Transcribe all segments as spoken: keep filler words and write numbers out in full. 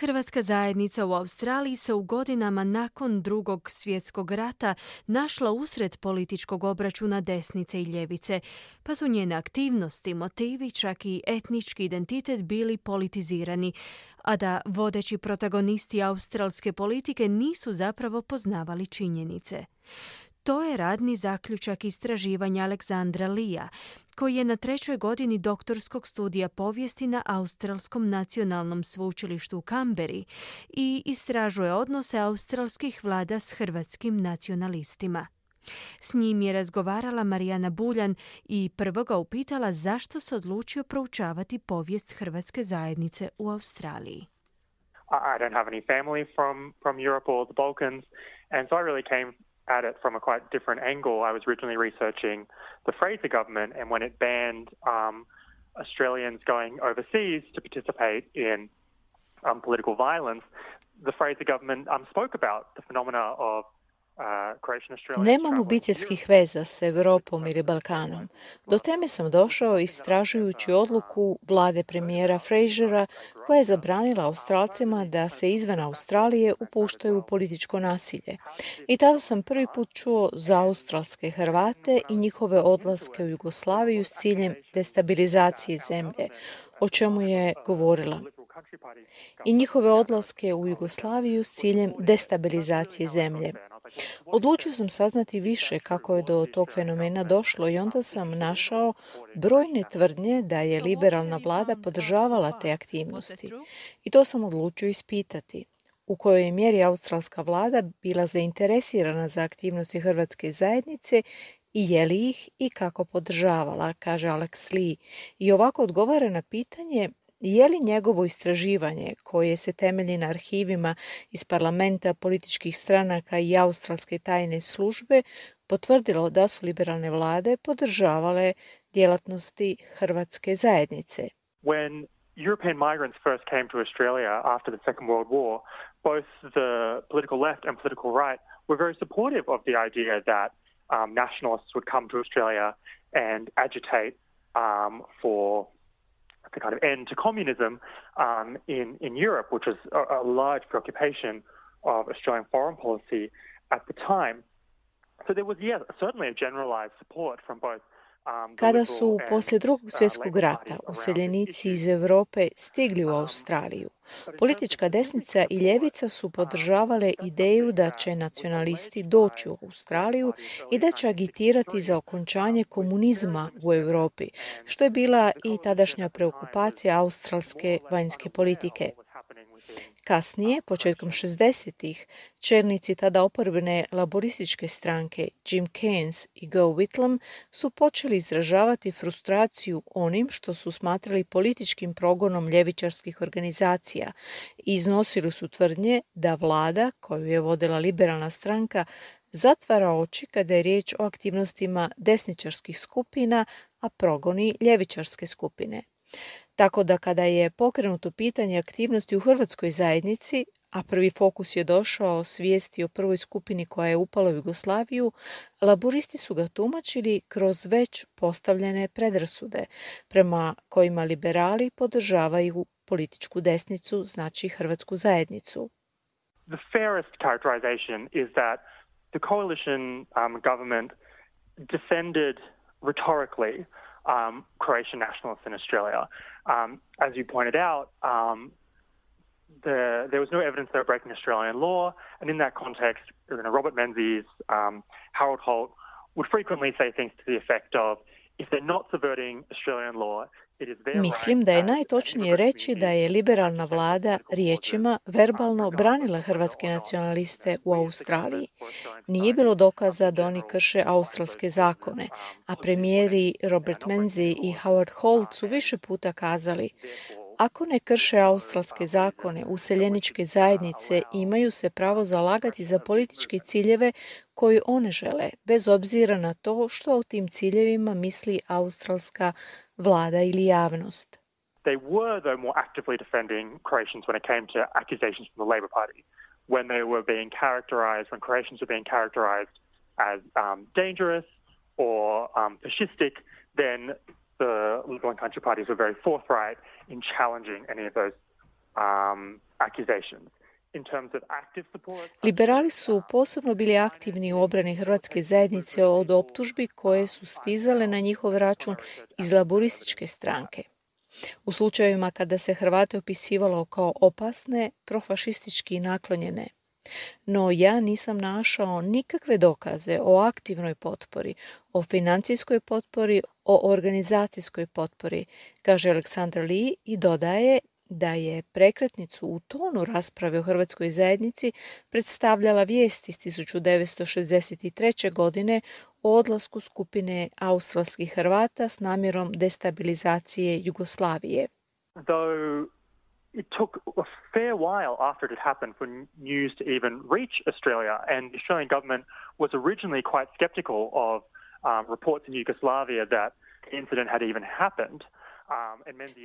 Hrvatska zajednica u Australiji se u godinama nakon Drugog svjetskog rata našla usred političkog obračuna desnice i ljevice, pa su njene aktivnosti, motivi, čak i etnički identitet bili politizirani, a da vodeći protagonisti australske politike nisu zapravo poznavali činjenice. To je radni zaključak istraživanja Aleksandra Lea, koji je na trećoj godini doktorskog studija povijesti na Australskom nacionalnom sveučilištu u Kamberi i istražuje odnose australskih vlada s hrvatskim nacionalistima. S njim je razgovarala Marijana Buljan i prvo ga upitala zašto se odlučio proučavati povijest hrvatske zajednice u Australiji. I don't have any family from, from Europe or the Balkans, and so I really came at it from a quite different angle. I was originally researching the Fraser government and when it banned um, Australians going overseas to participate in um, political violence, the Fraser government um, spoke about the phenomena of Nemam obiteljskih veza s Europom ili Balkanom. Do teme sam došao istražujući odluku vlade premijera Frasera koja je zabranila Australcima da se izvan Australije upuštaju u političko nasilje. I tada sam prvi put čuo za australske Hrvate i njihove odlaske u Jugoslaviju s ciljem destabilizacije zemlje, o čemu je govorila. I njihove odlaske u Jugoslaviju s ciljem destabilizacije zemlje. Odlučio sam saznati više kako je do tog fenomena došlo i onda sam našao brojne tvrdnje da je liberalna vlada podržavala te aktivnosti. I to sam odlučio ispitati. U kojoj je mjeri australska vlada bila zainteresirana za aktivnosti hrvatske zajednice i je li ih i kako podržavala, kaže Alex Lee. I ovako odgovara na pitanje je li njegovo istraživanje, koje se temelji na arhivima iz parlamenta, političkih stranaka i australske tajne službe, potvrdilo da su liberalne vlade podržavale djelatnosti hrvatske zajednice. When European migrants first came to Australia after the Second World War, both the political left and political right were very supportive of the idea that um, nationalists would come to Australia and agitate um, for the kind of end to communism um, in, in Europe, which was a, a large preoccupation of Australian foreign policy at the time. So there was, yeah, certainly a generalized support from both. Kada su poslije Drugog svjetskog rata useljenici iz Europe stigli u Australiju, politička desnica i ljevica su podržavale ideju da će nacionalisti doći u Australiju i da će agitirati za okončanje komunizma u Europi, što je bila i tadašnja preokupacija australske vanjske politike. Kasnije, početkom šezdesetih, čelnici tada oporbene laborističke stranke Jim Keynes i Go Whitlam su počeli izražavati frustraciju onim što su smatrali političkim progonom ljevičarskih organizacija i iznosili su tvrdnje da vlada, koju je vodila liberalna stranka, zatvara oči kada je riječ o aktivnostima desničarskih skupina, a progoni ljevičarske skupine. Tako da kada je pokrenuto pitanje aktivnosti u hrvatskoj zajednici, a prvi fokus je došao s vijesti o prvoj skupini koja je upala u Jugoslaviju, laboristi su ga tumačili kroz već postavljene predrasude, prema kojima liberali podržavaju političku desnicu, znači hrvatsku zajednicu. The fairest characterization is that the coalition um, government defended rhetorically Um, Croatian nationalists in Australia. Um, as you pointed out, um, the, there was no evidence they were breaking Australian law, and in that context, you know, Robert Menzies, um, Harold Holt would frequently say things to the effect of, if they're not subverting Australian law, Mislim da je najtočnije reći da je liberalna vlada riječima verbalno branila hrvatske nacionaliste u Australiji. Nije bilo dokaza da oni krše australske zakone, a premijeri Robert Menzies i Howard Holt su više puta kazali: ako ne krše australske zakone, useljeničke zajednice imaju se pravo zalagati za političke ciljeve koje one žele, bez obzira na to što o tim ciljevima misli australska vlada ili javnost. They were, though, more actively defending Croatians when it came to accusations from the Labour Party, when they were being characterized, when Croatians were being characterized as um, dangerous or um, fascistic, then the Liberal and Country parties were very forthright in challenging any of those um, accusations. Liberali su posebno bili aktivni u obrani hrvatske zajednice od optužbi koje su stizale na njihov račun iz laborističke stranke. U slučajevima kada se Hrvate opisivalo kao opasne, profašistički naklonjene. No ja nisam našao nikakve dokaze o aktivnoj potpori, o financijskoj potpori, o organizacijskoj potpori, kaže Aleksandar Lee i dodaje da je prekretnicu u tonu rasprave o hrvatskoj zajednici predstavljala vijest iz tisuću devetsto šezdeset treće. godine o odlasku skupine australskih Hrvata s namjerom destabilizacije Jugoslavije. Though it took a fair while after it had happened for news to even reach Australia, and the Australian government was originally quite skeptical of um, reports in Yugoslavia that the incident had even happened.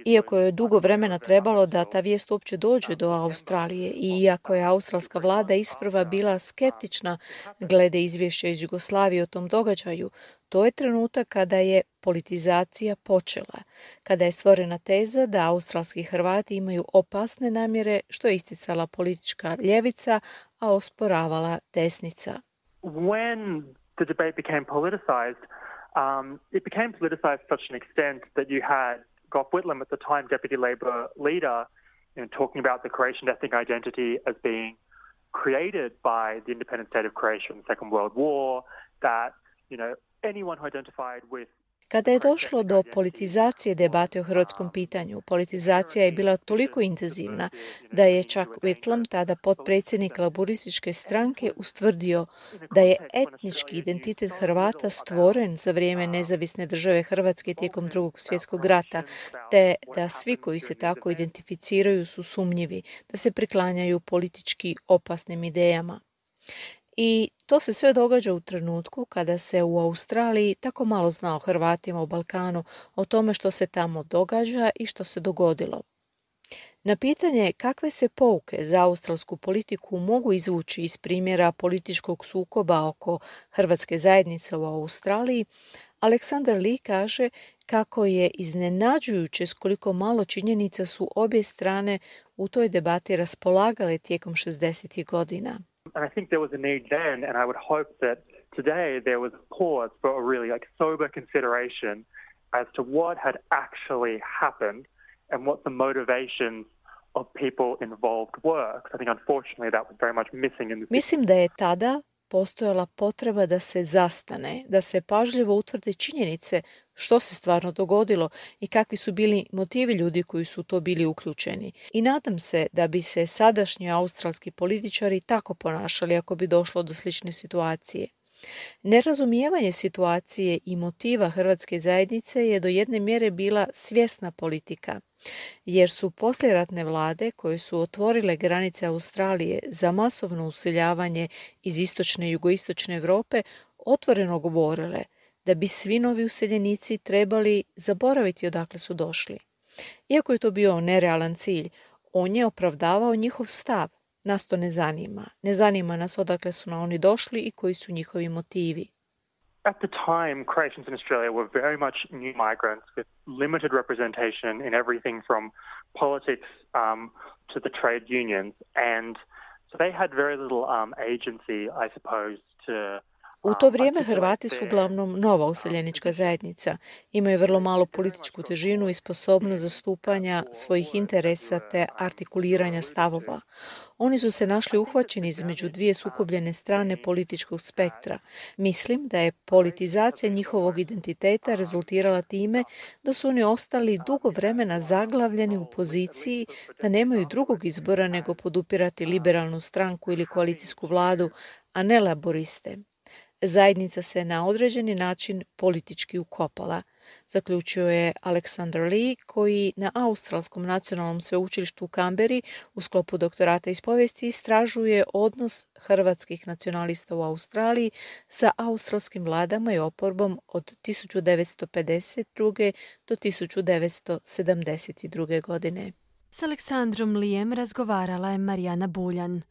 Iako je dugo vremena trebalo da ta vijest uopće dođe do Australije i iako je australska vlada isprva bila skeptična glede izvješća iz Jugoslavije o tom događaju, to je trenutak kada je politizacija počela, kada je stvorena teza da australski Hrvati imaju opasne namjere, što je isticala politička ljevica, a osporavala desnica. When the debate became politicized, um, it became politicized to such an extent that you had Gough Whitlam, at the time deputy Labor leader, you know, talking about the Croatian ethnic identity as being created by the independent state of Croatia in the Second World War, that, you know, anyone who identified with Kada je došlo do politizacije debate o hrvatskom pitanju, politizacija je bila toliko intenzivna da je čak Whitlam, tada potpredsjednik laborističke stranke, ustvrdio da je etnički identitet Hrvata stvoren za vrijeme nezavisne države Hrvatske tijekom Drugog svjetskog rata, te da svi koji se tako identificiraju su sumnjivi, da se priklanjaju politički opasnim idejama. I to se sve događa u trenutku kada se u Australiji tako malo zna o Hrvatima u Balkanu, o tome što se tamo događa i što se dogodilo. Na pitanje kakve se pouke za australsku politiku mogu izvući iz primjera političkog sukoba oko hrvatske zajednice u Australiji, Aleksandar Lee kaže kako je iznenađujuće s koliko malo činjenica su obje strane u toj debati raspolagale tijekom šezdesetih godina. And I think there was a need then, and I would hope that today there was a pause for a really like sober consideration as to what had actually happened and what the motivations of people involved were. Because I think unfortunately that was very much missing in the Mislim da je tada postojala potreba da se zastane, da se pažljivo utvrde činjenice što se stvarno dogodilo i kakvi su bili motivi ljudi koji su to bili uključeni. I nadam se da bi se sadašnji australski političari tako ponašali ako bi došlo do slične situacije. Nerazumijevanje situacije i motiva hrvatske zajednice je do jedne mjere bila svjesna politika, jer su poslijeratne vlade koje su otvorile granice Australije za masovno useljavanje iz istočne i jugoistočne Europe otvoreno govorile da bi svi novi useljenici trebali zaboraviti odakle su došli. Iako je to bio nerealan cilj, on je opravdavao njihov stav. Nas to ne zanima. Ne zanima nas odakle su na oni došli i koji su njihovi motivi. At the time, Croatians in Australia were very much new migrants with limited representation in everything from politics um, to the trade unions. And so they had very little um, agency, I suppose, to U to vrijeme Hrvati su uglavnom nova useljenička zajednica. Imaju vrlo malu političku težinu i sposobnost zastupanja svojih interesa te artikuliranja stavova. Oni su se našli uhvaćeni između dvije sukobljene strane političkog spektra. Mislim da je politizacija njihovog identiteta rezultirala time da su oni ostali dugo vremena zaglavljeni u poziciji da nemaju drugog izbora nego podupirati liberalnu stranku ili koalicijsku vladu, a ne laboriste. Zajednica se na određeni način politički ukopala, zaključio je Aleksandar Lee, koji na Australskom nacionalnom sveučilištu u Kamberi u sklopu doktorata iz povijesti istražuje odnos hrvatskih nacionalista u Australiji sa australskim vladama i oporbom od tisuću devetsto pedeset druge do tisuću devetsto sedamdeset druge godine. S Aleksandrom Lijem razgovarala je Marijana Buljan.